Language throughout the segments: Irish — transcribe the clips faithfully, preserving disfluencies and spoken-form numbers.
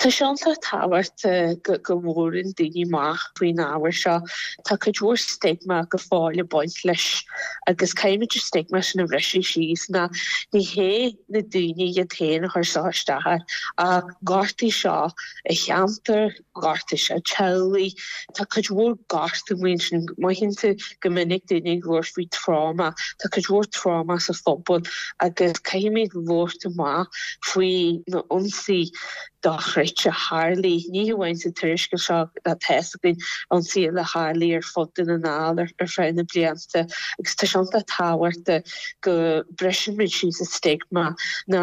Tá sé iontach tábhachtach go go labhrann daoine amach faoin ábhar seo. Tá cuid mhór stigma go fóill ag baint leis agus caithfimid an stigma sin a bhriseadh síos ná ní hé na daoine iad féin a chuir seo isteach air ach gortaigh seo a cheantar, gortaigh seo teaghlaigh, Tá cuid mhór gortú ansin mothaíonn tú go minic daoine ag labhairt faoi trauma, Tá cuid mhór trauma sa phobal agus caithfimid labhairt amach faoi na ionsaí dochreidte a tharlaigh ní hamháin sa tuarascáil seo tá againn ionsaí a tharlaigh ar fud na nGall ar ar feadh na blianta agus tá sé iontach tábhachtach go mbrisimid síos an stigma ná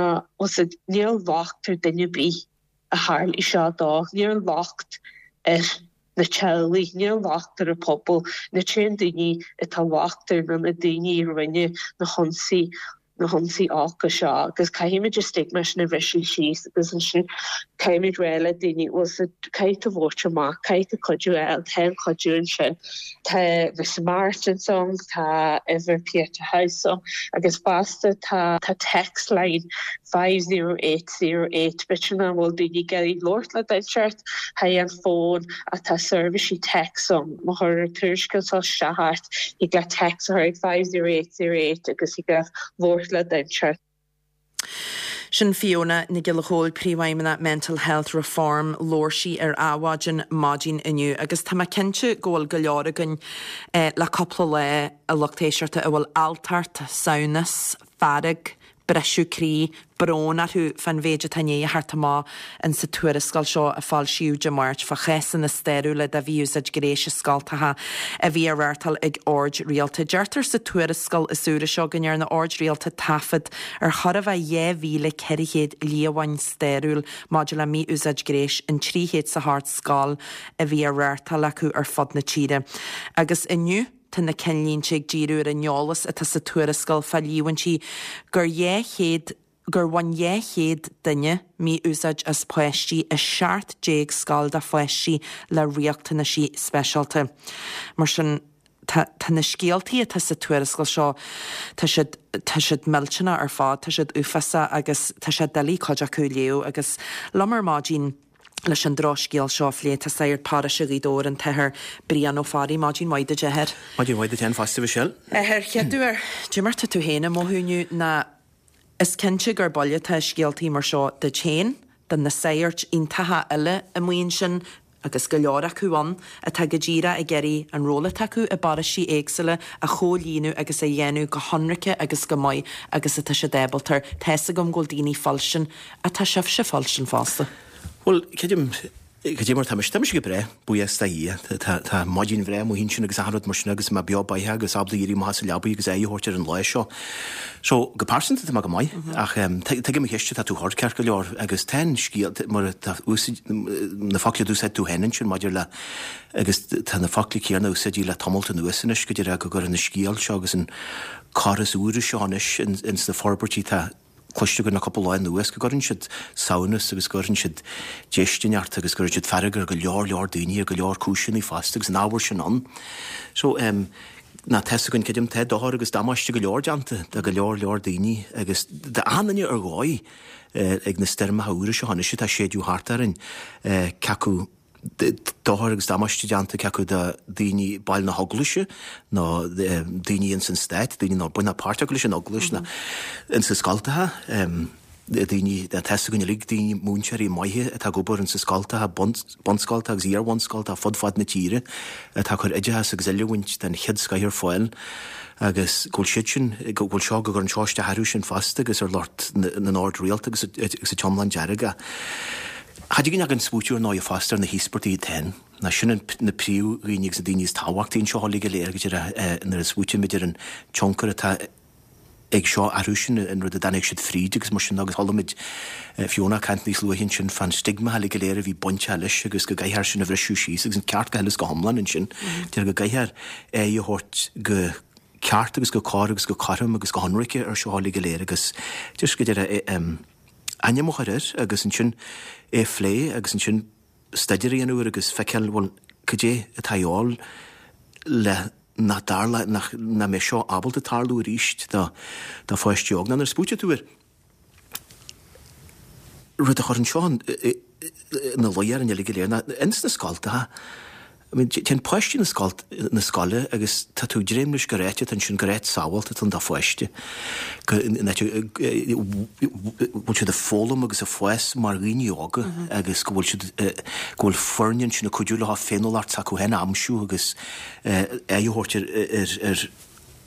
níl locht ar duine ar bith a tharlaigh seo dó, níl locht ar na teaghlaigh, níl locht ar an pobal, na t-aon daoine atá locht ar na na daoine a rinne na hionsaí na hionsaí olca seo agus caithfimid an stigma sin a bhriseadh síos agus ansin caithfimid rá le daoine bhfuil caithfidh tú labhairt amach, caithfidh tú cuidiú a fháil, tá an cuidiú ansin. Tá na Samaritans ann, tá uimhir Pieta House ann agus fosta tá tá text line five zero eight zero eight b'fhéidir nach bhfuil daoine ag iarraidh labhairt le duine inteacht thar an fón ach tá seirbhísí text ann má chuir an tuarascáil seo isteach ort thig leat text a chur ag five zero eight zero eight agus thig leat labhairt le duine inteacht. Sin Fiona Nic Giolla Chóill príomhfheidhmeannach Mental Health Reform labhair sí ar Adhmhaidin maidin inniu agus tá mé cinnte go bhfuil go leor againn eh, le cúpla lá a lucht éisteachta a bhfuil alltacht, samhnas, fearg, briseadh croí, brón orthu fan mhéid atá i ndiaidh a theacht amach in sa tuarascáil seo a foilsíodh Dé Máirt fá chásanna stairiúla de mhí-úsáid gnéis i scoltacha a bhí á reáchtáil ag oird rialta. Deirtear sa tuarascáil is úire seo go ndearna oird rialta taifead ar chor a bheith dhá mhíle ceithre chéad líomhain stairiúil maidir le mí-úsáid gnéis in trí chéad is a hocht scoil a bhí á reáchtáil acu ar fud na tíre. Agus inniu Tá na cinnlínte ag díriú ar an eolas atá sa tuarascáil fá líomhaintí gur dhá chéad gur bhain dhá chéad duine mí-úsáid as páistí i seacht déag scoil do pháistí le riachtanaisí speisialta. Mar sin tá tá na scéaltaí atá sa tuarascáil seo tá siad tá siad millteanach ar fad, tá siad uafásach agus tá sé doiligh cuid acu a léamh agus liom ar maidin leis an drochscéal seo a phlé tá sagart paróiste Ghaoth Dobhair an tAthair Brian Ó Fearraigh, maidin mhaith duit a Athair. Maidin mhaith duit féin fosta Michelle. Athair chéad uair cad é mar tá tú féin ag mothú inniu ná is cinnte gur buille atá scéaltaí mar seo duit féin, do na sagairt iontacha eile amuigh ansin agus go leor acu ann atá go díreach ag iarraidh an ról atá acu i bparóistí éagsúla a chomhlíonadh agus a dhéanamh go hionraice agus go maith agus atá siad ábalta. Tá fhios agam go bhfuil daoine fuilstin atá sibhse fuilstin fosta. Bhuel, creidim cad é mar tá mise tá mise go breá, buíochas do Dhia. Tá tá maidin bhreá amuigh ansin agus achan rud mar sin agus mé beo beathach agus ábalta éirí amach as an leabaidh agus aghaidh a thabhairt ar an lá seo. So go pearsanta tá mé go maith ach um, tuigim an cheist atá tú a chur ceart go leor agus tá an scéal mar tá úsáid na focla d'úsáid tú féin ansin maidir le agus tá na focla céanna úsáidte le tamalt anuas anois go dtí go gcuireann an scéal seo agus an cor is úire seo anois in, in sna forbairtí tá cloiste againn le cúpla lá anuas go gcuireann siad samhnas agus go gcuireann siad déistin ort agus go gcuireann siad fearg ar go leor leor daoine ar go leor cúiseanna fosta agus an ábhar sin ann. So um, ná tá fhios againn creidim tá dochar agus damáiste go leor déanta do go leor leor daoine agus d'achan duine ar dhóigh eh, ag na stoirmeacha úra seo anois atá ag séideadh thart orainn eh, cé acu dochar agus damáiste déanta cé acu do daoine baill na heaglaise nó daoine ins an stát, daoine nár bain páirt acu leis an eaglais ná ins na scoltacha, daoine tá fhios againn uilig daoine múinteoirí maithe atá ag obair ins na scoltacha, bunscoltacha agus iar-bhunscoltacha fud fad na tíre atá ag cur oideachas agus oiliúint den chéad scoth ar fáil agus go bhfuil siad sin, go bhfuil seo, go gcuireann seo isteach orthu sin fosta agus ar lucht na n-ord rialta agus agus an t-iomlán dearg. Cha dtig linn ach smaoitiú ar ndóigh fosta ar na híospartaigh iad féin. Ná sin na príomhdhaoine agus na daoine is tábhachtaí anseo uilig go léir go díreach nuair a smaoitímid ar an tionchar atá ag seo orthu sin, an rud a dtáinig siad fríd agus mar sin agus chuala muid Fiona ag caint níos luaithe ansin fán stigma uilig go léir a bhí bainteach leis agus go gcaithfear sin a bhriseadh síos agus an ceart go huile is go hiomlán ansin. Deir go gcaithfear aghaidh a thabhairt go ceart agus go cóir agus go cothrom agus go hionraice ar seo uilig go léir agus just go deireadh ainm a chur air agus ansin é a phlé agus ansin staidéar a dhéanamh air agus feiceáil, bhuel, cad é atá a dhíobháil le nach dtarla, nach, nach mbeidh seo ábalta tarlú arís do, do pháistí óg. Nó nuair a smaoitíonn tú ar rud a chuireann seo ina luí orainn uilig go léir ná ins na scoltacha, I mean, téann páistí na scoil na scoile agus tá tú ag dréim leis gur áit atá ansin, gur áit sábháilte atá ann do pháiste, go bhfuil siad ag foghlaim agus ag fás mar dhaoine óga agus go bhfuil siad, go bhfuil foirne ansin ag cuidiú leo féiniúlacht s'acu féin a aimsiú agus aghaidh a thabhairt ar ar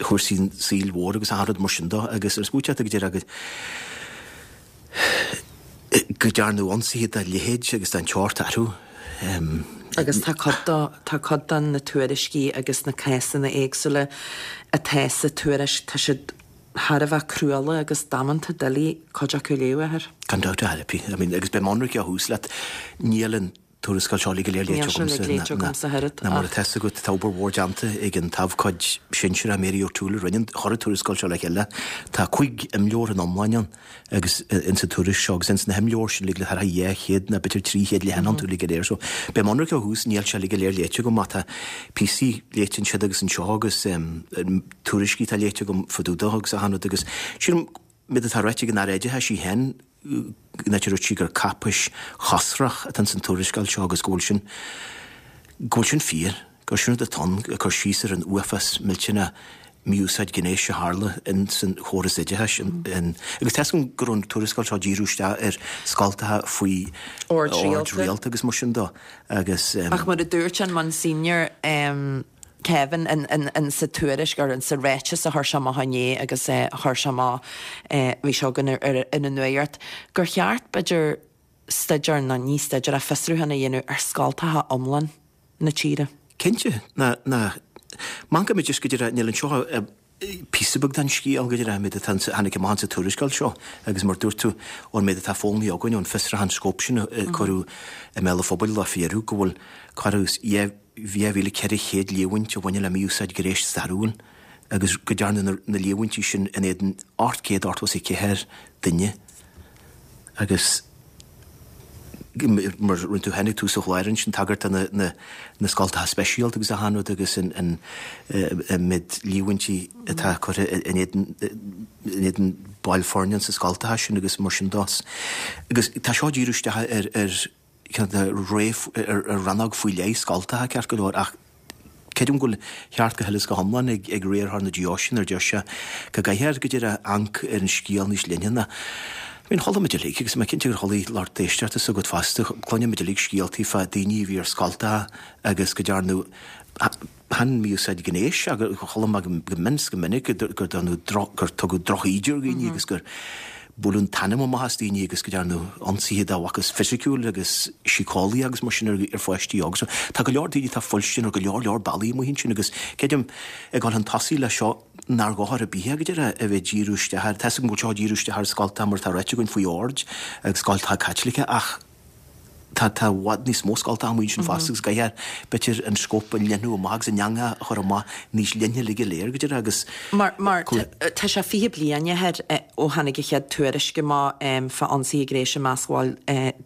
chúrsaí an tsaoil mhóir agus achan rud mar sin de agus ar smaointe go deireadh go go ndearnadh ionsaithe dá leithéid agus den tseort orthu. Agus tá cuid de, tá cuid de na tuairiscí agus na cásanna éagsúla atá sa tuairisc, tá siad thar a bheith cruálach agus damanta doiligh cuid acu a léamh, a athair. Gan dabht ar bith. I mean, agus beidh mé ionraic ó thús leat, níl an tuarascáil seo uilig go léir léite agamsa, ná mar atá fhios agat, tá obair mhór déanta ag an t-abhcóide sinsearach Mary O'Toole a rinne, chuir an tuarascáil seo le chéile. Tá cúig imleabhar in iomláine ann agus ins an tuairisc seo agus ins na himleabhair sin uilig le thar a dhá chéad ná b'fhéidir trí chéad leathanach iontu uilig go léir. So beidh mé ionraic ó thús, níl sé uilig go léir léite agam ach tá píosaí léite ansiúd agus anseo agus tuairiscí atá léite agam fá dtaobh de agus achan rud agus sílim méid atá ráite ag an Aire Oideachais í féin, an áit a dúirt sí gur cáipéis chosrach atá ins an tuarascáil seo agus go bhfuil sin, go bhfuil sin fíor, gur sin rud atá ann, ag cur síos ar an uafás millteanach mí-úsáid gnéis a tharla ins an chóras oideachais. Agus tá 'fhios agam go raibh an tuarascáil seo ag díriú isteach ar scoltacha faoi ord rialta agus mar sin de agus. Ach mar a dúirt an Monsignor, Kevin in sa tuairisc or in sa ráiteas a chuir sé amach inné agus a chuir sé amach bhí seo againn ar an nuacht gur cheart b'fhéidir staidéar nó ní staidéar ach fiosrúchán a dhéanamh ar scoltacha iomlán na tíre. Cinnte, ná ná manca muid just go dtí níl anseo píosa beag den scéal go dtí an méid atá tháinig amach sa tuarascáil seo agus mar dúirt tú ón méid atá foghlamtha againn ón fiosrúchán scóip sin a cuireadh i mbéal an phobail le fíorú go bhfuil corradh dhá mhíle ceithre chéad líomhaint a bhaineann le mí-úsáid gnéis stairiúil agus go ndearnadh na líomhaintí sin in éadan ocht gcéad ochtó is a ceathair duine agus mar rinne tú féin ag tús an chláir ansin tagairt do na na scoltacha speisialta agus achan rud agus an an méid líomhaintí atá curtha in éadan in éadan baill foirne sa scoltacha sin agus mar sin de. Agus tá seo ag díriú isteach ar ar ceann de ré ar rannóg faoi leith scoltacha ceart go leor ach creidim go bhfuil ceart go huile is go hiomlán ag ag riarthóir na deoise nuair a deir sé go gcaithfear go díreach amharc ar an scéal níos leithne ná I mean chuala muid uilig agus mé cinnte gur chuala lucht éisteachta s'agat fosta cluineann muid uilig scéaltaí fá daoine a bhí ar scoltacha agus go dearnadh chan mí-úsáid gnéis ach chuala mé go mion go minic gur dearnadh gur tugadh drochíde ar dhaoine agus gur buaileadh an t-anam amach as daoine agus go ndearnadh ionsaithe dá bhfacthas fisiciúil agus síceolaí agus mar sin ar ar pháistí óga. So tá go leor daoine atá fuilstin ar go leor leor bealaí amuigh ansin agus creidim ag dul chun tosaigh leis seo nár dhochar ar bith é go deireadh a bheith ag díriú isteach ar, tá 'fhios agam go bhfuil seo ag díriú isteach ar scoltacha mar atá ráite againn faoi ord agus scoltacha Caitliceacha ach tá tá i bhfad níos mó scoltacha amuigh ansin fosta agus caithfear b'fhéidir an scóip a leathnú amach agus an eangach a chur amach níos leithne uilig go léir go deireadh agus Mar mar tá sé fiche bliain a athair ó tháinig an chéad tuairisc amach fá ionsaithe gnéis i measc bhaill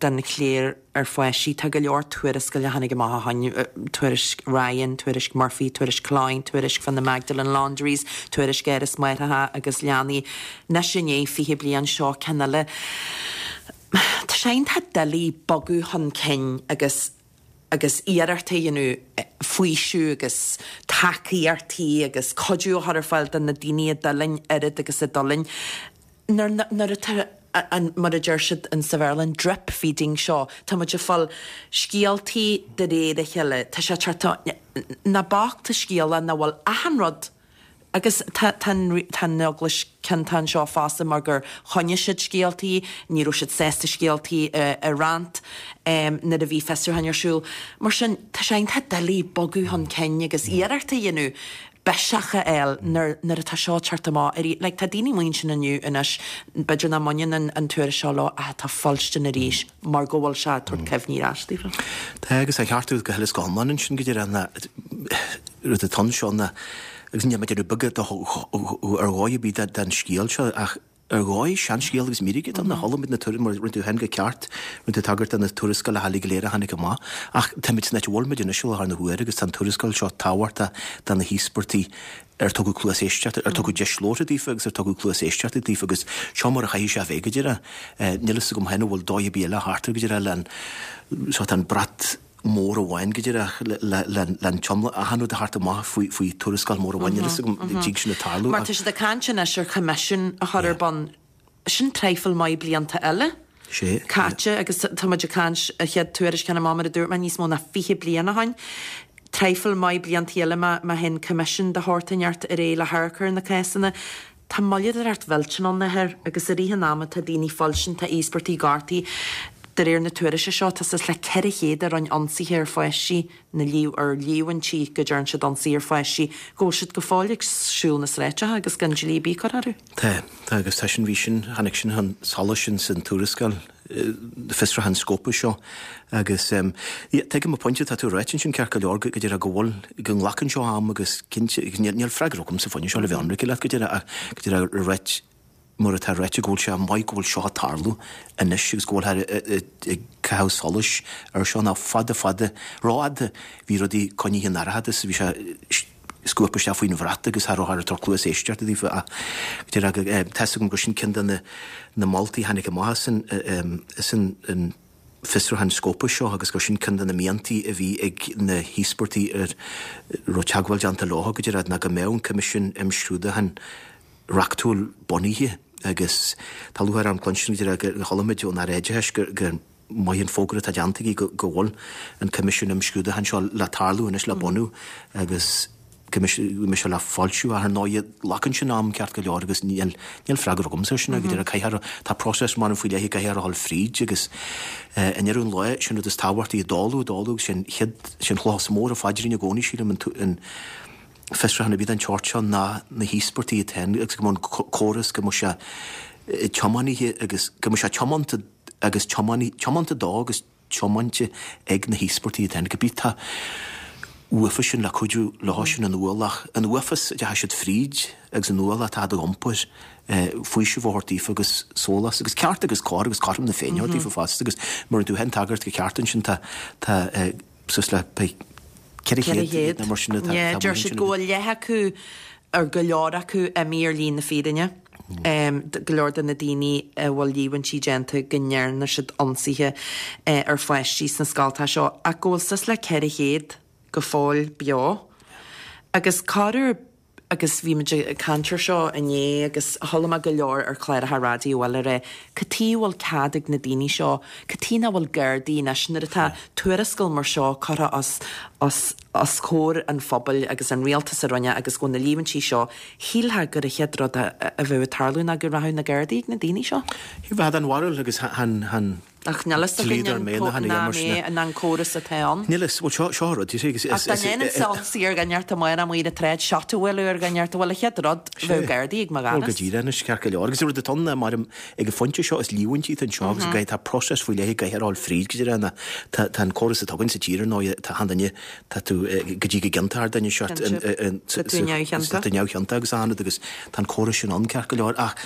den chléir ar pháistí. Tá go leor tuarascáil a tháinig amach ó shin, tuairisc Ryan, tuairisc Murphy, tuairisc Cloyne, tuairisc fá na Magdalene Laundries, tuairisc Áras Máithreacha agus Leanaí. Anois i ndiaidh fiche bliain seo ceann eile. Tá sé iontach doiligh bogadh chun cinn agus agus iarracht a dhéanamh faoiseamh agus tacaíochtaí agus cuidiú a chur ar fáil do na daoine a d'fhulaing oiread agus a d'fhulaing nuair nuair atá an mar a deir siad in sa Bhéarla an drip feeding seo tá muid ag fáil scéaltaí de réir a chéile tá sé ag teacht ná bac tá scéala nach bhfuil achan rud Agus tá tá an Eaglais ciontach anseo fosta mar gur choinnigh siad scéaltaí, ní raibh siad sásta scéaltaí a roinnt nuair a bhí fiosrúcháin ar siúl. Mar sin, tá sé iontach doiligh bogadh chun cinn agus iarracht a dhéanamh biseach a fháil nuair nuair atá seo ag teacht amach arís. Like, tá daoine amuigh ansin inniu anois, b'fhéidir nach mbaineann an tuairisc seo leo ach atá fuilstin arís mar go bhfuil sé ag tabhairt cuimhní ar ais daofa. Tá agus tá ceart agat go huile is go hiomlán ansin go díreach na rud atá anseo ná Agus níl mé ag déanamh beag ar dhóigh ar bith den scéal seo ach ar dhóigh seanscéal agus mírice ann, chuala muid na tuairisc mar rinne tú féin go ceart, rinne tú tagairt do na tuarascálacha uilig go léir a tháinig amach, ach táimid san áit a bhfuil muid anois i láthair na huaire agus tá an tuarascáil seo tábhachtach do na híospartaigh ar tugadh cluas éisteachta, ar tugadh deis labhartha daofa agus ar tugadh cluas éisteachta daofa agus seo mar a chaithfidh sé a bheith go díreach. Níl fhios agam féin an bhfuil dóigh ar bith eile thart air go díreach le an, sórt an brat mór amháin go díreach le an t-iomlán, achan rud a theacht amach faoi faoi tuarascáil mór amháin. Níl fhios agam an dtig sin a tarlú. Mar tá siad ag caint anois ar choimisiún a chur ar bun, sin traidhfil maith blianta eile caite agus tá muid ag caint an chéad tuairisc cheana amach mar a dúirt mé níos mó ná fiche bliain ó shin. Traidhfil maith blianta eile má má théann coimisiún de shórt inteacht ar aghaidh le hamharc ar na cásanna. Tá moilleadóireacht mhillteanach ann athair agus i rith an ama tá daoine foilsithe, tá íospartaigh gortaithe. De réir na tuairisce seo, tá suas le ceithre chéad a rinne ionsaithe ar pháistí, na ar líomhaintí go dtearn siad ionsaí ar pháistí, go bhfuil siad go fóill ag siúl na sráideacha agus gan dlí ar bith curtha orthu. Tá, tá agus tá sin, bhí sin, tháinig sin chun solais ins an tuarascáil fiosrúchán scóipe seo agus yeah, tuigim an pointe atá tú a ráit ansin ceart go leor go deireadh go bhfuil, go nglacann seo am agus cinnte, níl freagra agam sa phointe seo le bheith ionraic leat go deireadh ach go deireadh a ráit mar atá ráite go bhfuil sé maith go bhfuil seo ag tarlú anois agus go bhfuil ag caitheamh solais ar seo ná fada fada rófhada bhí rudaí coinnithe in dorchadas bhí sé scuabtha isteach faoin bhrat agus cha raibh ag tabhairt cluas éisteachta daofa ach go deireadh tá 'fhios agam gur sin ceann de na na moltaí a tháinig amach as an as an an fiosrúchán scóipe seo agus gur sin ceann de na miantaí a bhí ag na híospartaigh ar raibh teagmháil déanta leo go deireadh ná go mbeadh an Coimisiún Imscrúdúcháin reachtúil bunaithe agus tá lúcháir orm cluinstin go deireadh gur chuala muid ón Aire Oideachais gur gur maith an fógra atá déanta aige go go bhfuil an Coimisiún Imscrúdúcháin seo le tarlú anois le bunú agus go mbeidh sé le foilsiú ach ar ndóigh glacann sin am ceart go leor agus níl níl freagra agamsa air sin go deireadh caithfear tá próiseas mar an faoi leith caithfear a dhul fríd agus i ndeireadh an lae sin rud is tábhachtaí ag dálú ag dálú agus sin chéad sin chloch is mór an phaidrín i gcónaí sílim an an fiosrúchán ar bith den tseort seo ná na híospartaigh iad féin agus go mbeadh an córas go mbeadh sé tiománaithe agus go mbeadh sé tiomanta agus tiomanta dó agus tiomáinte ag na híospartaigh iad féin. Cibé tá uafa sin le cuidiú leo sin an ualach, an uafás a deachaigh siad fríd agus an ualach atá á iompar, faoiseamh a thabhairt daofa agus sólás agus ceart agus cóir agus cothrom na Féinne a thabhairt daofa fosta agus mar a rinne tú féin tagairt go ceart ansin tá tá suas le ceithre chéad nó mar sin atá Yeah, deir siad go bhfuil leath acu ar go leor acu imithe ar shlí na fírinne. Go leor de na daoine a bhfuil líomhaintí déanta go ndearna siad ionsaithe ar pháistí sna scoltacha seo ach go bhfuil suas le ceithre chéad go fóill beo. Agus corruair agus bhí muid ag caint air seo inné agus chuala mé go leor ar chláracha raidió eile ag rá, cad chuige a bhfuil cead ag na daoine seo, cad chuige nach bhfuil Gardaí anois nuair atá tuarascáil mar seo curtha os, os, os comhair an phobail agus an rialtas a rinne agus go bhfuil na líomhaintí seo, shílfeá gur an chéad rud a, a bheadh ag tarlú ná go rachadh na Gardaí ag na daoine seo. Bheadh an bharúil agus han, han, Ach níl fhios againn an é an córas atá ann. Níl fhios, bhuel seo seo an rud, you see, agus Ach dá ndéanfainnse ionsaí ar dhuine inteacht amárach amuigh ar an tsráid, shot a bhualadh ar dhuine inteacht, bhuel an chéad rud, bheadh Gardaí ag mo Bhuel go dhoras. díreach anois, ceart go leor. Agus an rud atá ann ná mar ag an phointe seo is líomhaintí atá anseo agus go tá próiseas faoi leith ag caithfear a dhul fríd go díreach ná tá tá an córas atá againn sa tír ar ndóigh tá achan duine tá tú go dtí go gciontófar duine seo Cinnte. Tá tú neamhchiontach. Tá tú neamhchiontach agus achan rud agus tá an córas sin ann ceart go leor ach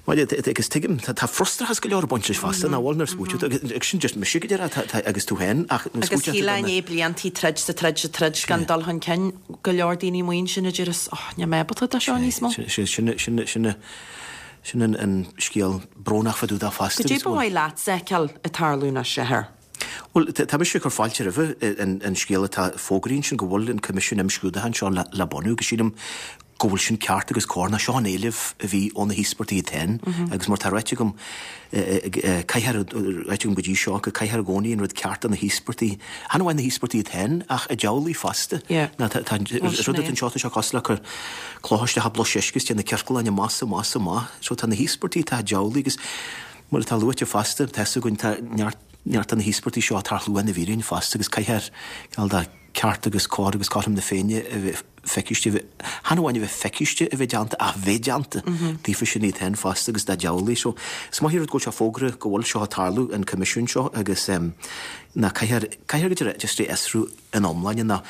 agus tuigim tá frustrachas go leor ag baint leis fosta nach bhfuil nuair a smaoiteodh tú agus sin just mise go díreach agus tú féin ach nuair a Agus smaoiteodh tú shílfeá i ndiaidh bliantaí troid 's troid 's troid gan dul chun cinn go leor daoine amuigh ansin a déarfas oh níl mé ábalta dó seo níos mó. Sin sin sin sin sin an an scéal brónach fá dtaobh de fosta. Goidé ba mhaith leat a fheiceáil ag tarlú anois, a Athair? Bhuel, tá mise ag cur fáilte roimhe an scéal atá fógraithe ansin go bhfuil an Coimisiún Imscrúdúcháin seo le bunú agus sílim go bhfuil sin ceart agus cóir ná seo an éileamh a bhí ó na híospartaigh iad féin agus mar tá ráite agam caithfear ráite agam go dtí seo go caithfear i gcónaí an rud ceart do na híospartaigh, chan amháin na híospartaigh iad féin ach a dteaghlaigh fosta. Ná tá tá an rud atá anseo tá sé cosúil le cur cloch isteach i bpluais uisce is déanamh ciorcaláin amach is amach is amach. So tá na híospartaigh tá a dteaghlaigh agus mar atá luaite fosta tá fhios againn tá neart neart de na híospartaigh seo atá ar shlua na bhfírinne fosta agus caithfear cineál de ceart agus cóir agus cothrom na Féinne a bheith feiciste, chan amháin a bheith feiciste a bheith déanta ach bheith déanta daofa sin iad féin fosta agus dá dteaghlaigh. So is maith an rud go bhfuil sé fógartha go bhfuil seo ag tarlú, an coimisiún seo agus ná caithfear, caithfear go deireadh just é a fhiosrú ina iomláine ná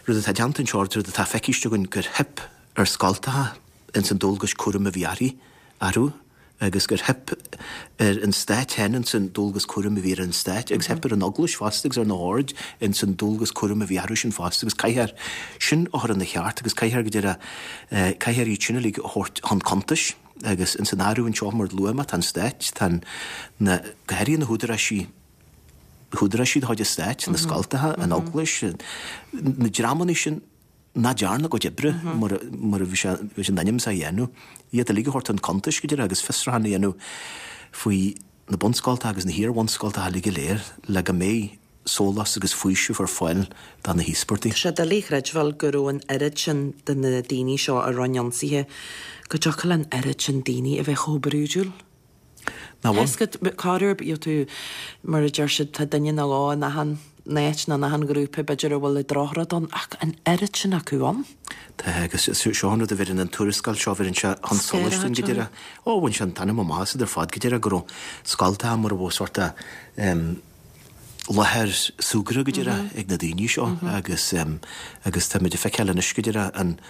rud atá déanta anseo, rud atá feiciste againn gur theip ar scoltacha ins an dualgais cúraim a bhí uirthi, orthu. agus gur theip ar an stát féin ins an dualgas cúraim a bhí ar an stát agus theip ar an Eaglais fosta agus ar na hoird ins an dualgas cúraim a bhí orthu sin fosta agus caithfear sin a chur ina cheart agus caithfear go deireadh caithfear iad sin uilig a thabhairt chun cuntais agus ins an áireamh anseo mar luaigh mé tá an stát tá na go háirithe na húdaráisí húdaráisí de chuid an stáit na scoltacha an Eaglais na dreamanna sin nach ndearna a gcuid oibre mar mar a bhí sé bhí sé in ainm is a dhéanamh, iad uilig a thabhairt chun cuntais go deireadh agus fiosrúchán a dhéanamh faoi na bunscoltacha agus na hiar-bhunscoltacha uilig go léir le go mbeidh sólás agus faoiseamh ar fáil do na híospartaigh. Tá sé doiligh a chreidbheáil go raibh an oiread sin de na daoine seo a rinne ionsaithe, go dtiocfadh le an oiread sin daoine a bheith chomh brúidiúil. Ná bhfuil? Tá 'fhios agat, corruair, you know, mar a deir siad, tá duine nó dhó in achan áit nó in achan ghrúpa, b'fhéidir, a bhfuil an drochrud ann, ach an oiread sin acu ann. Tá, agus seo an rud a bheireann an tuarascáil seo, bheireann sé chun solais dúinn go deireadh. Ó, bhain sé an t-ainm amach as iad ar fad go deireadh, go raibh scoltacha mar a bheadh sórt of láthair súgartha go deireadh ag na daoine seo agus agus táimid ag feiceáil anois go deireadh an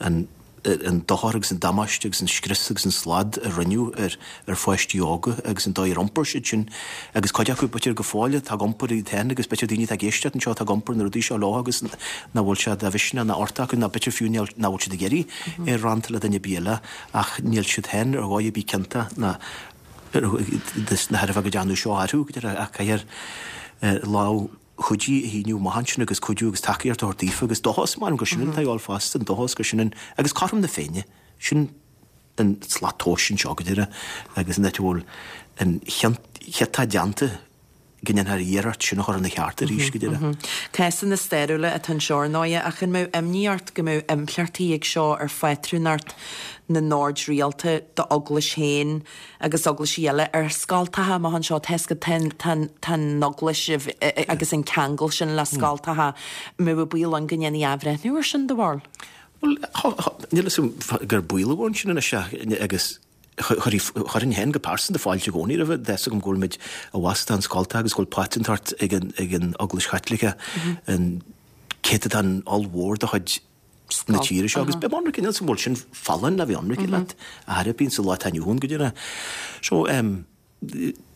an an dochar agus an damáiste agus an scrios agus an slad a rinneadh ar ar pháistí óga agus an dóigh ar iompair siad sin agus cuid acu b'fhéidir go fóill atá ag iompar iad féin agus b'fhéidir daoine atá ag éisteacht anseo atá ag iompar na rudaí seo leo agus nach bhfuil sé de mhisneach ná ort acu ná b'fhéidir fiú nach bhfuil siad ag iarraidh é a roinnt le duine ar bith eile ach níl siad féin ar dhóigh ar bith ciontach ná na thairbhe go dtearnadh seo orthu go deireadh ach caithfear lámh chuidí a shíneadh amach ansin agus cuidiú agus tacaíocht a thabhairt daofa agus dóchas, measaim gur sin an t-ádh fosta, an dóchas gur sin an, agus cothrom na Féinne, sin an slat tomhais anseo go deireadh agus an áit a bhfuil an chiontá déanta go ndéanfar iarracht sin a chur ina cheart arís go deireadh. Cásanna stairiúla atá anseo ar ndóighe ach an mbeadh imní ort go mbeadh impleachtaí ag seo ar phátrúnacht na n-ord rialta d'eaglais féin agus eaglaisí eile ar scoltacha amach anseo? Tá 'fhios agat tá an eaglais agus an ceangal sin le scoltacha, an mbeadh baol ann go ndéanfaí athbhreithniú ar sin, do bharúil? Bhuel, níl 'fhios agam gur baol a bhí ansin anois agus chuirfinn féin go pearsanta fáilte i gcónaí roimhe, tá 'fhios agam go bhfuilimid i bhfastán scoltacha agus go bhfuil pátrúntacht ag an ag an Eaglais Chaitliceach an céatadán ollmhór de chuid na tíre seo agus beidh ionraic, níl 'fhios agam an bhfuil sin folláin le bheith ionraic leat a chor ar bith sa lá atá inniu ann go deireadh. So em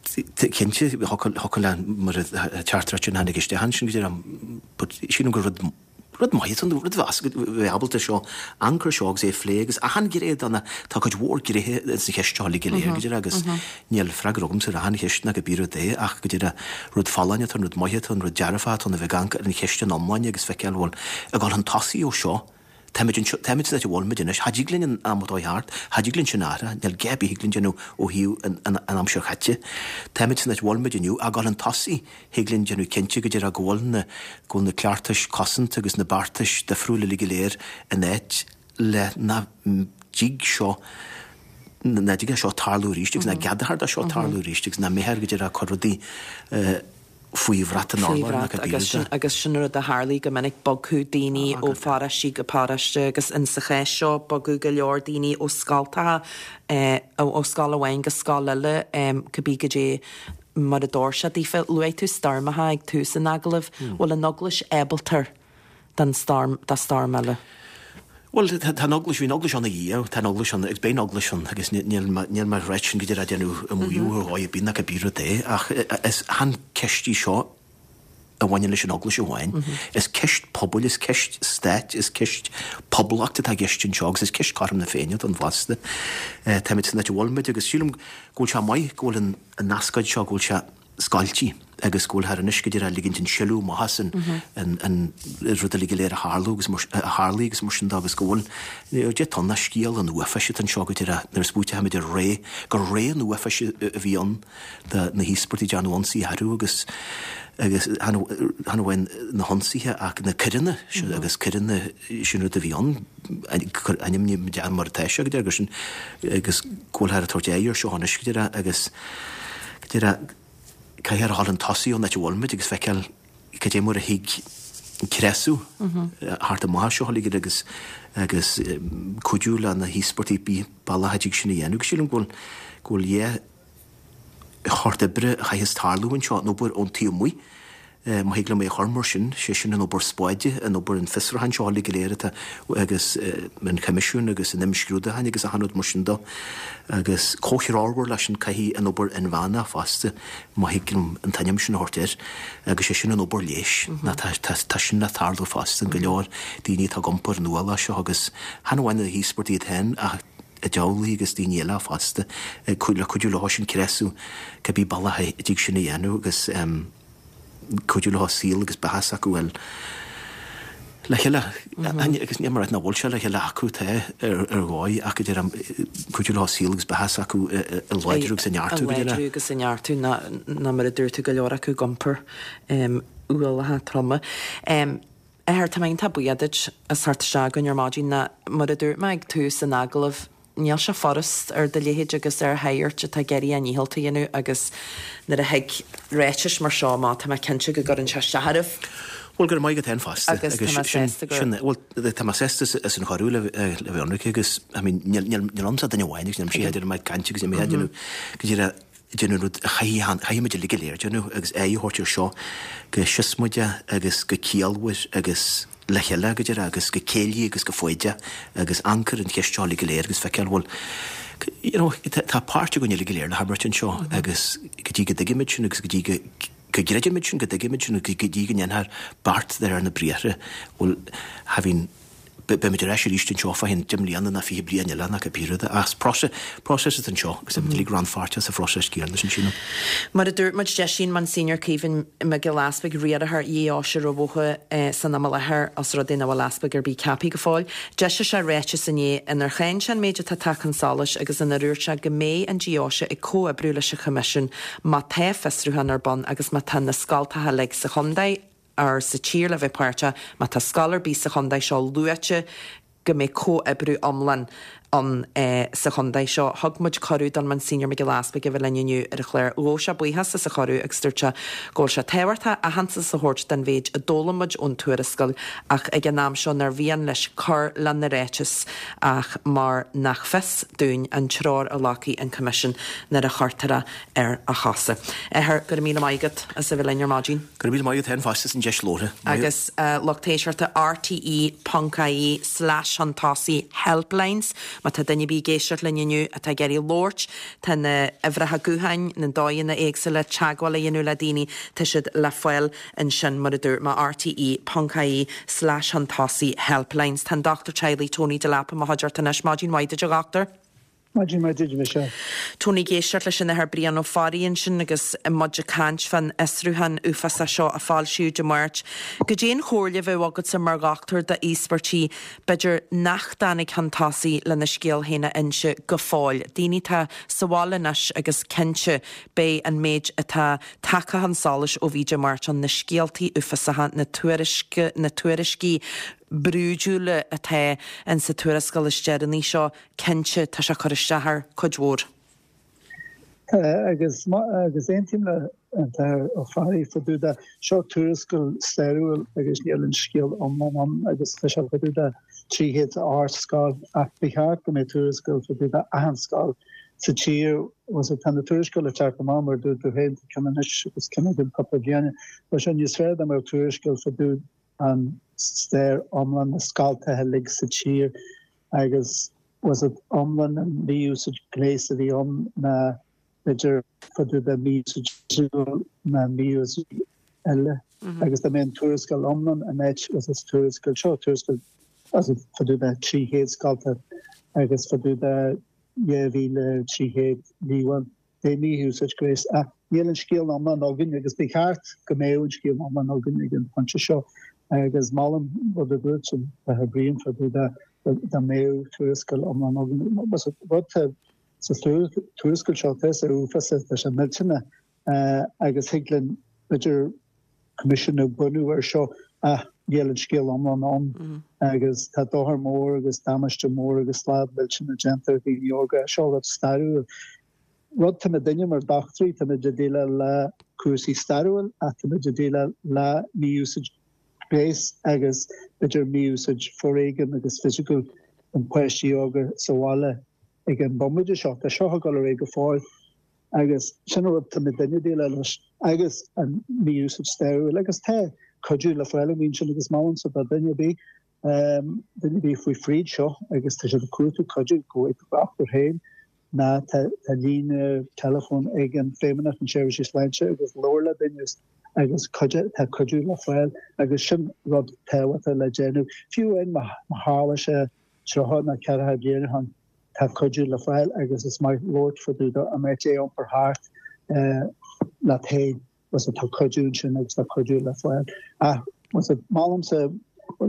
cinnte thiocfadh le mar a teachtaireacht sin a tháinig isteach ansin go deireadh but sílim gur rud Rud maith atá ann, rud a bheas, bheith ábalta seo, amharc air seo agus é a phlé agus achan ghné de na, tá cuid mhór gnéithe ins an cheist seo uilig go léir, go deireadh, agus níl freagra agamsa ar achan cheist ná cibé rud é ach go deireadh, rud folláin atá ann, rud maith atá ann, rud dearfach atá ann a bheith ag amharc ar an cheist ina iomláine agus feiceáil, bhuel, ag dul chun tosaigh ó seo, táimid anseo, táimid san áit a bhfuilimid anois, cha dtig linn an am atá thart, cha dtig linn sin a athrú, níl gá ar bith thig linn déanamh ó thaobh an, an, an aimsir chaite. Táimid san áit a bhfuilimid inniu, ag dul chun tosaigh, thig linn déanamh cinnte go deireadh go bhfuil na, go bhfuil na cleachtais cosanta agus na beartais difriúla uilig go léir in áit le nach dtig seo, nach dtig leis seo tarlú arís agus nach gceadófar dó seo tarlú arís agus nach mbeifear go deireadh ag cur rudaí faoi bhrat an Faoi urláir ná bhrat cibé agus rud sin é. agus sin rud a tharlaigh go minic, bogadh daoine ó pharóiste go paróiste agus in sa chás seo bogadh go leor daoine ó scoltacha, ó scoil amháin go scoil eile, cibé goidé mar a d'fhóir sé daofa. Luaigh tú stoirmeacha ag tús an agallaimh. Bhfuil an Eaglais ábalta don storm, do storm eile? Bhuel, tá an Eaglais, bhí an Eaglais ann ina dhiaidh, tá an Eaglais ann agus beidh an Eaglais ann agus níl mé, níl mé ag ráit sin go deireadh ag déanamh maíomh ar dhóigh ar bith ná cibé rud é ach is chan ceist í seo a bhaineann leis an Eaglais amháin. Is ceist pobail, is ceist stáit, is ceist poblacht atá i gceist anseo agus is ceist cothrom na Féinne don bhfosta. Táimid san áit a bhfuilimid agus sílim go bhfuil sé maith go bhfuil an an ascáid seo, go bhfuil sé scoiltí agus go bhfuil thar anois go deireadh ligint an sileadh amach as an an an rud uilig go léir a tharlú agus mar a tharlaigh agus mar sin de agus go bhfuil dé tá na scéal an uafáis atá anseo go deireadh nuair a smaoitímid ar ré gur ré an uafáis a bhí ann do na híospartaigh dearnadh ionsaí orthu agus agus chan chan amháin na hionsaithe ach na coireanna agus coireanna sin rud a bhí ann ainmnigh mar atá sé go deireadh gur sin agus go bhfuil thar ag tabhairt aghaidh ar seo anois go deireadh agus go deireadh Caithfear a dhul chun tosaigh ón áit a bhfuilimid agus feiceáil cad é mar a thig creasadh thart amach seo uilig agus agus cuidiú le na híospartaigh pé bealach a dtig sin a dhéanamh. Agus sílim go bhfuil go bhfuil dhá shórt oibre a chaithfeas tarlú anseo, an obair ón taobh amuigh Má thig liom é a chur mar sin, sé sin an obair spáide, an obair an fiosrúcháin seo uilig go léir atá agus an Coimisiún agus an imscrúdúcháin agus achan rud mar sin dó. Agus comhthreomhar leis sin caithfidh an obair inmheánach fosta, má thig liom an t-ainm sin a thabhairt air, agus sé sin an obair leighis. Ná tá, tá, tá sin le tarlú fosta, go leor daoine atá ag iompar an ualach seo agus chan amháin na híospartaigh iad féin ach a dteaghlaigh agus daoine eile fosta, le cuidiú leo sin creasadh cibé bealach a dtig sin a dhéanamh agus cuidiú leo saol agus beatha s'acu a fháil le chéile agus níl mé ag rá nach bhfuil sé le chéile acu tá ar ar dhóigh ach go deirim cuidiú leo saol agus beatha s'acu a láidriú agus a neartú go deireadh. A láidriú agus a neartú ná ná mar a dúirt tú go leor acu ag iompar ualaithe troma. Athair, tá mé iontach buíoch duit as theacht isteach chugainn ar maidin ná mar a dúirt mé ag tús an agallaimh Níl sé furast ar do leithéid agus ar shagairt atá ag iarraidh a ndícheall a dhéanamh agus nuair a thig ráitis mar seo amach, tá mé cinnte go gcuireann sé isteach oraibh. Bhuel, go raibh maith agat féin fosta. Agus tá mé sásta go. Sin, bhuel, tá mé sásta as an chuireadh le bheith ionraic agus, I mean, níl ionamsa ach duine amháin agus níl mise ag déanamh cainte agus níl mé ag déanamh go díreach déanamh rud a chaithfidh, chaithfidh muid uilig go léir déanamh agus aghaidh a thabhairt ar seo go siosmaideach agus go ciallmhar agus le chéile go deireadh agus go céillí agus go foighdeach agus amharc ar an cheist seo uilig go léir agus feiceáil bhfuil you know tá páirt againn uilig go léir le himirt anseo agus go dtí go dtuigimid sin agus go dtí go go gcreidimid sin go dtuigimid sin agus go dtí go ndéanfar beart de réir na briathra bhuel having beimid ar ais arís anseo fá cheann deich mbliana ná fiche bliain eile ná cibé rud ach próiseas atá anseo agus táimid uilig rannpháirteach sa phróiseas céanna sin sílim. Mar a dúirt muid, d'eisigh an Monsignor Caoimhín Mac Giolla Easpaig, riarthóir Dheoise Rath Bhotha san am i láthair, os rud é nach bhfuil easpag ar bith ceaptha go fóill. D'eisigh sé ráiteas inné inar cháin sé an méid atá tagtha chun solais agus inar dhúirt sé go mbeidh an deoise ag comhoibriú leis an Choimisiún má tá fiosrúchán ar bun agus má tá na scoltacha uilig sa chontae or sa tír le bheith páirteach, má tá scoil ar bith sa chontae seo luaite go mbeidh comhoibriú iomlán ann sa chontae seo. Thug muid cuireadh don Monsignor Mac Giolla Easpaig a bheith linn inniu ar an chlár. Ghabh sé buíochas as an chuireadh agus dúirt sé go bhfuil sé tábhachtach aitheantas a thabhairt don mhéid a d'fhoghlaim muid ón tuarascáil ach ag an am seo nár mhian leis cur lena ráiteas ach mar nach fios dúinn an treoir a ghlacfaidh an Coimisiún nuair a chuirtear é ar a chosa. Athair, go raibh míle maith agat as a bheith linn ar maidin. Go raibh míle maith agat féin fosta as an deis labhartha. Agus lucht éisteachta rte ponc ie slash chun tosaigh helplines má tá duine ar bith ag éisteacht linn inniu atá ag iarraidh labhairt, tá na huimhreacha gutháin, na dóigheanna éagsúla teagmháil a dhéanamh le daoine, tá siad le fáil ansin mar a dúirt mé rte ponc ie slash chun tosaigh helplines. Tá an Dochtúir Teaghlaigh Tony Delap i mo chuideachta anois. Maidin mhaith duit a dhochtúir. Maidin mhaith duit, Michelle. Tony ag éisteacht leis an Athair Brian Ó Fearraigh ansin agus muid ag caint fán fhiosrúchán uafásach seo a foilsíodh Dé Máirt. Goidé an chomhairle a bheadh agatsa mar dhochtúir d'íospartaigh b'fhéidir nach dtáinig chun tosaigh lena scéal féin a inse go fóill, daoine atá sa bhaile anois agus cinnte beidh an méid atá tagtha chun solais ó bhí Dé Máirt ann, na scéaltaí uafásacha, na tuairisc, na tuairiscí brúidiúla atá in sa tuarascáil is deireanaí seo, cinnte tá sé ag cur isteach ar cuid mhór. Agus agus aontaím le an tAthair Ó Fearraigh fá dtaobh de, seo tuarascáil stairiúil agus níl an scéal iomlán ann agus tá sé fá dtaobh de trí chéad a ocht scoil ach ba cheart go mbeadh tuarascáil fá dtaobh de achan scoil sa tír. Bhuel tá na tuarascáil ag teacht amach mar a dúirt tú féin, tá ceann anois agus ceann againn cúpla bliain. Bheadh sé níos fearr dá mbeadh tuarascáil fá dtaobh an stair iomlán na scoltacha uilig sa tír agus was it iomlán an mhí-úsáid gnéis a bhí ann ná b'fhéidir fá dtaobh de mhí-úsáid fisiciúil ná mí-úsáid eile agus dá mbeadh an tuarascáil iomlán in áit was it tuarascáil seo tuarascáil was it fá dtaobh de trí chéad scolta agus fá dtaobh de dhá mhíle trí chéad líomhain de mhí-úsáid gnéis ach níl an scéal iomlán againn agus ba cheart go mbeadh an scéal iomlán againn ag an phointe seo agus molaim rud a dúirt an tAthair Brian fá dtaobh de dá mbeadh tuarascáil iomlán againn. Rud tá sa tuarascáil seo tá sé uafásach, tá sé millteanach agus thig linn b'fhéidir coimisiún a bhunú ar seo ach níl an scéal iomlán ann agus tá dochar mór agus damáiste mór agus slad millteanach déanta ar dhaoine óga. Seo rud stairiúil. Rud tá muidinne mar dochtúirí, tá muid ag déileáil le cúrsaí stairiúil ach tá muid ag déileáil le mí-úsáid gnéis agus b'fhéidir mí-úsáid foréigin agus fisiciúil an páistí óga sa bhaile ag an bomaite seo. Tá seo ag dul ar aghaidh go fóill. Agus sin an rud tá muidinne ag déileáil leis agus an mí-úsáid stairiúil agus tá cuidiú le fáil an sin agus molaimse do duine ar bith duine ar bith faoi fríd seo agus tá siad ag cuartú cuidiú go bhfaighidh dochtúir féin ná tá tá líne teileafóin ag an Feidhmeannacht na Seirbhísí Sláinte agus labhair le duine agus cuidiú tá cuidiú le fáil agus sin rud tábhachtach le déanamh. Fiú amháin má tharla sé tríocha nó ceathracha bliain ó shin tá cuidiú le fáil agus is maith labhairt fá dtaobh de an mbeidh é iompar thart leat féin was tá cuidiú ansin agus tá cuidiú le fáil. Ach was molaimse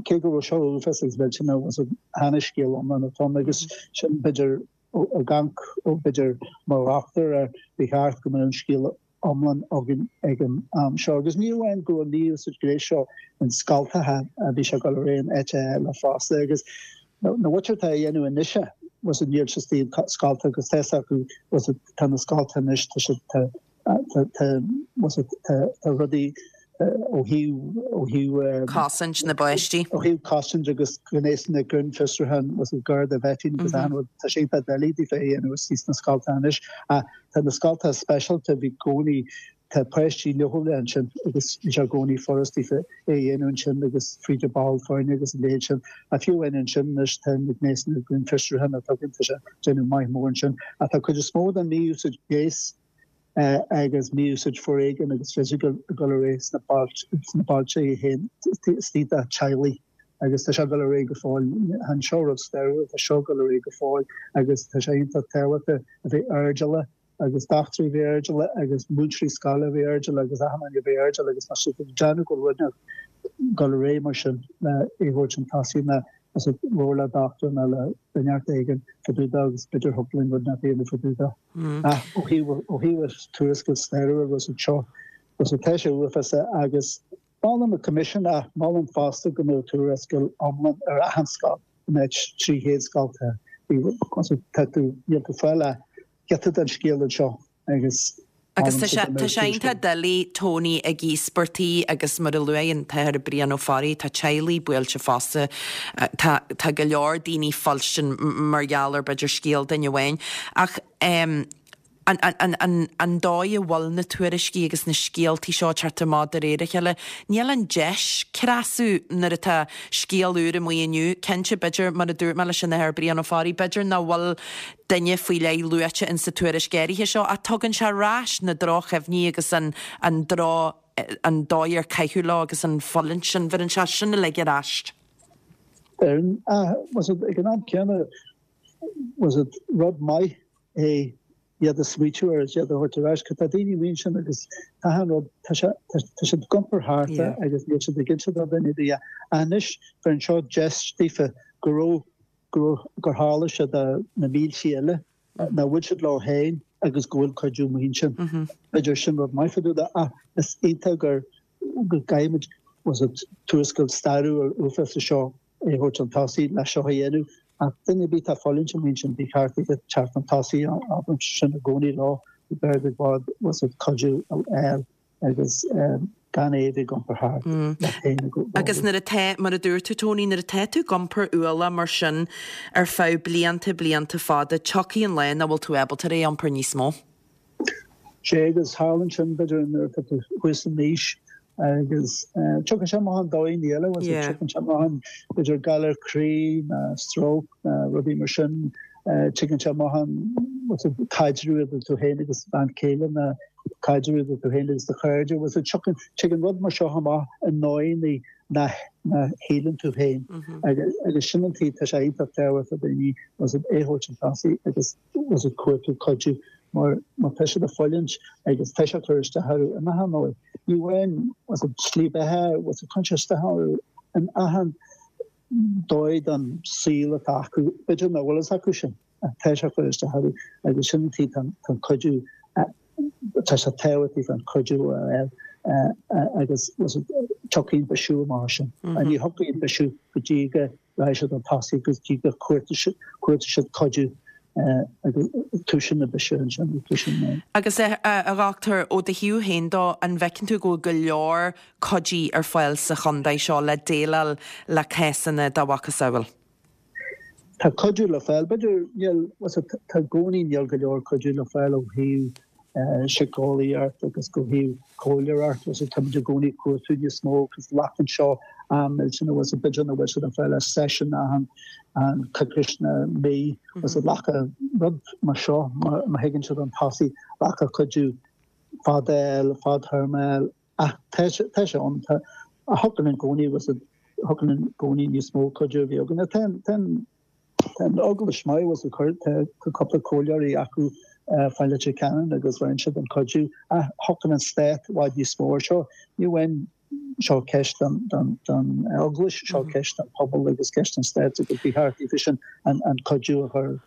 cé go raibh seo uafásach agus millteanach was chan an scéal iomlán atá ann agus sin b'fhéidir ó gan ó b'fhéidir mar dhochtúir ar ba cheart go mbeadh an scéal iomlán againn ag an am seo. Agus ní amháin go raibh an mí-úsáid gnéis seo in scoltacha a bhí sé ag dul ar aghaidh in áit eile fosta agus na muintir atá á dhéanamh anois was níl siad istigh scolta agus tá acu was tá na scolta anois tá siad tá tá was tá tá rudaí ó thaobh ó thaobh Cosaint na bpáistí. ó thaobh cosaint agus gnéas na grinnfhiosrúchán was Garda vetting agus an rud tá sé iontach doiligh daofa é a dhéanamh istigh sna scolta anois ach tá na scolta speisialta bhí gcónaí tá páistí leochaileach ansin agus bhí sé i gcónaí furast daofa é a dhéanamh ansin agus fríd an ball foirne agus an leithéid sin ach fiú amháin ansin anois tá na gnéasanna grinnfhiosrúchán atá againn tá sé déanamh maith mór ansin ach tá cuid is mó den mí-úsáid gnéis agus mí-úsáid foréigin agus fisiciúil ag dul ar aghaidh sna sna bailte féin istigh de teaghlaigh agus tá sé ag dul ar aghaidh go fóill. Chan seo rud stairiúil, tá seo ag dul ar aghaidh go fóill agus tá sé iontach tábhachtach a bheith airdeallach agus dochtúirí a bheith airdeallach agus múinteoirí scoile a bheith airdeallach agus achan duine a bheith airdeallach agus tá siad ag déanamh go bhfuil rud ag dul ar aghaidh mar sin le é a thabhairt chun tosaigh ná is ag labhairt le dochtúir nó le duine éigin fá dtaobh de agus b'fhéidir thug linn rud nach dhéanamh fá dtaobh de. Ach ó thaobh ó thaobh tuarascáil stairiúil was seo was tá sé uafásach agus molaim an coimisiún ach molaim fosta go mbeadh tuarascáil iomlán ar achan scoil go mbeadh trí chéad scoil tá tá tú níl tú fáil a giota den scéal anseo agus Agus tá sé tá sé iontach doiligh Tony ag íospartaigh agus mar a luaigh an tAthair Brian Ó Fearraigh tá teaghlaigh buailte fosta tá tá go leor daoine fuilstin mar gheall ar b'fhéidir scéal duine amháin ach um, an, an, an, an dóigh a bhfuil na tuairiscí agus na scéaltaí seo teacht amach de réir a chéile, níl an deis creasadh nuair atá scéal úr amuigh inniu, cinnte b'fhéidir mar a dúirt mé leis an Athair Brian Ó Fearraigh, b'fhéidir nach bhfuil duine faoi leith luaite in sa tuairisc áirithe seo ach tugann sé ar ais na drochchuimhní agus an, an dro an dóigh ar caitheadh leo agus an fulaingt sin bheireann sé sin uilig ar ais. Ah, was it ag an am céanna was it rud maith é iad a smaoitiú ar is iad a thabhairt ar ais, tá daoine amuigh ansin agus tá an rud tá sé tá siad ag iompar thart agus níl siad ag inse do dhuine ar bith. Anois bheireann seo deis daofa go raibh go raibh gur tharla sé do na mílte eile nach bhfuil siad leo féin agus go bhfuil cuidiú amuigh ansin. B'fhéidir sin rud maith fá dtaobh de ach is iontach gur go gcaithfimid was it tuarascáil stairiúil uafásach seo é a thabhairt chun tosaigh le seo a dhéanamh ach duine ar bith atá ag fulaingt amuigh ansin ba cheart iad teacht chun tosaigh abraim sin i gcónaí leo b'fhearr i bhfad was it cuidiú a fháil agus gan é a bheith ag iompar thart leat féin i gcónaí. Agus nuair atá, mar a dúirt tú Tony, nuair atá tú ag iompar ualach mar sin ar feadh blianta blianta fada, tiocfaidh an lá nach bhfuil tú ábalta é a iompar níos mó. Sé agus tharlaíonn sin b'fhéidir nuair atá tú thuas in aois agus tiocfaidh sé amach an dóigh eile was it tiocfaidh sé amach an b'fhéidir galar croí ná stroke ná rudaí mar sin tiocfaidh sé amach an was it caidreamh idir tú féin agus bean chéile ná caidreamh idir tú féin agus do chairde was it tiocfaidh tiocfaidh rud mar seo amach i ndóigheanna ná ná shíleann tú féin agus agus sin an tuige tá sé iontach tábhachtach daoine was it é a thabhairt chun tosaigh agus was it cuartú cuidiú mar má tá siad ag fulaingt agus tá sé ag cur isteach orthu in achan dóigh. Ní amháin was it slí beatha was it cuireann sé isteach orthu in achan dóigh den saol atá acu b'fhéidir nach bhfuil fhios acu sin ach tá sé ag cur isteach orthu agus sin an tuige tá an cuidiú tá sé tábhachtach an cuidiú a fháil agus was it tiocfaidh an bisiú amach sin. Ní thiocfaidh an bisiú go dtí go rachaidh siad chun tosaigh go dtí go cuartóidh siad cuidiú agus toisíonn na bisiú ansin toisíonn na. Agus a dhochtúir, ó do thaobh féin dó, an bhfeiceann tú go bhfuil go leor cuidí ar fáil sa chontae seo le déileáil le cásanna dá mhacasamhail? Tá cuidiú le fáil. B'fhéidir níl, was it, tá i gcónaí níl go leor cuidiú le fáil ó thaobh síceolaíocht agus ó thaobh comhairleoireacht agus táimid i gcónaí ag cuartú níos mó agus glacann seo am millteanach agus b'fhéidir nach bhfuil siad ag fáil seisiún achan an coicís nó mí agus glacfaidh rud mar seo má thuigeann siad an tosaigh glacfaidh cuidiú fada fadtéarma ach tá tá sé ann tá a thiocfaidh i gcónaí agus thiocfaidh i gcónaí níos mó cuidiú a bhí againn. Tá tá Tá an Eaglais maith agus tá cúpla comhairleoirí acu fá Leitir Ceanainn agus bheireann siad an cuidiú ach thiocfadh an stát i bhfad níos mó air seo. Ní amháin seo ceist don Eaglais, seo ceist don pobal agus ceist don stát agus ba cheart daofa sin an cuidiú a chur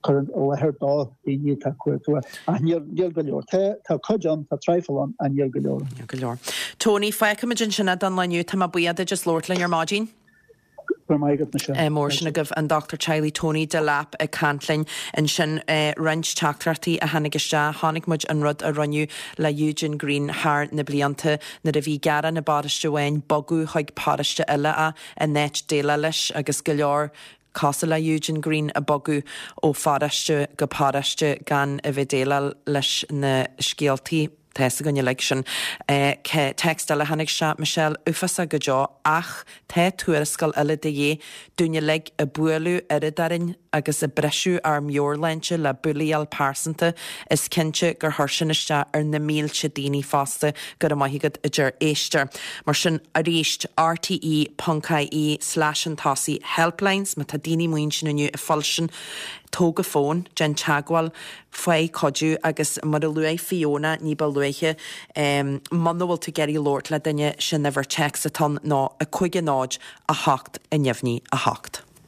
cur i láthair do dhaoine atá ag cuartú ach níl níl go leor. Tá tá cuid ann, tá traidhfil ann ach níl go leor. Níl go leor. Tony, fágfaimid ansin é don lá inniu, tá mé buíoch duit as labhairt linn ar maidin. Go raibh maith agat, Michelle. Mór sin agaibh an Dochtúir Teaghlaigh Tony Delap ag caint linn ansin. Roinnt teachtaireachtaí a tháinig isteach. Chonaic muid an rud a rinneadh le Eugene Greene thar na blianta nuair a bhí gearán i bparóiste amháin bogadh chuig paróiste eile é in áit déileáil leis agus go leor cosúil le Eugene Greene a bogadh ó pharóiste go paróiste gan a bheith déileáil leis na scéaltaí. Tá fhios againn uilig sin. Téacs eile a tháinig isteach, Michelle, uafásach go deo ach tá tuarascáil eile de dhíth dúinn uilig ag bualadh oiread orainn agus ag briseadh ár meabhairshláinte le bulaíáil pearsanta. Is cinnte gur chuir sin isteach ar na mílte daoine fosta. Go raibh maith agat, a deir éisteoir. Mar sin, arís, rte ponc ie slash an tosaigh helplines má tá daoine amuigh ansin inniu ag fuilsint Tóg an fón, déan teagmháil, faigh cuidiú agus mar a luaigh Fiona ní ba luaithe, muna bhfuil tú ag iarraidh labhairt le duine, sin uimhir téacs atá ann ná a cúig a náid a hocht a neamhní a hocht.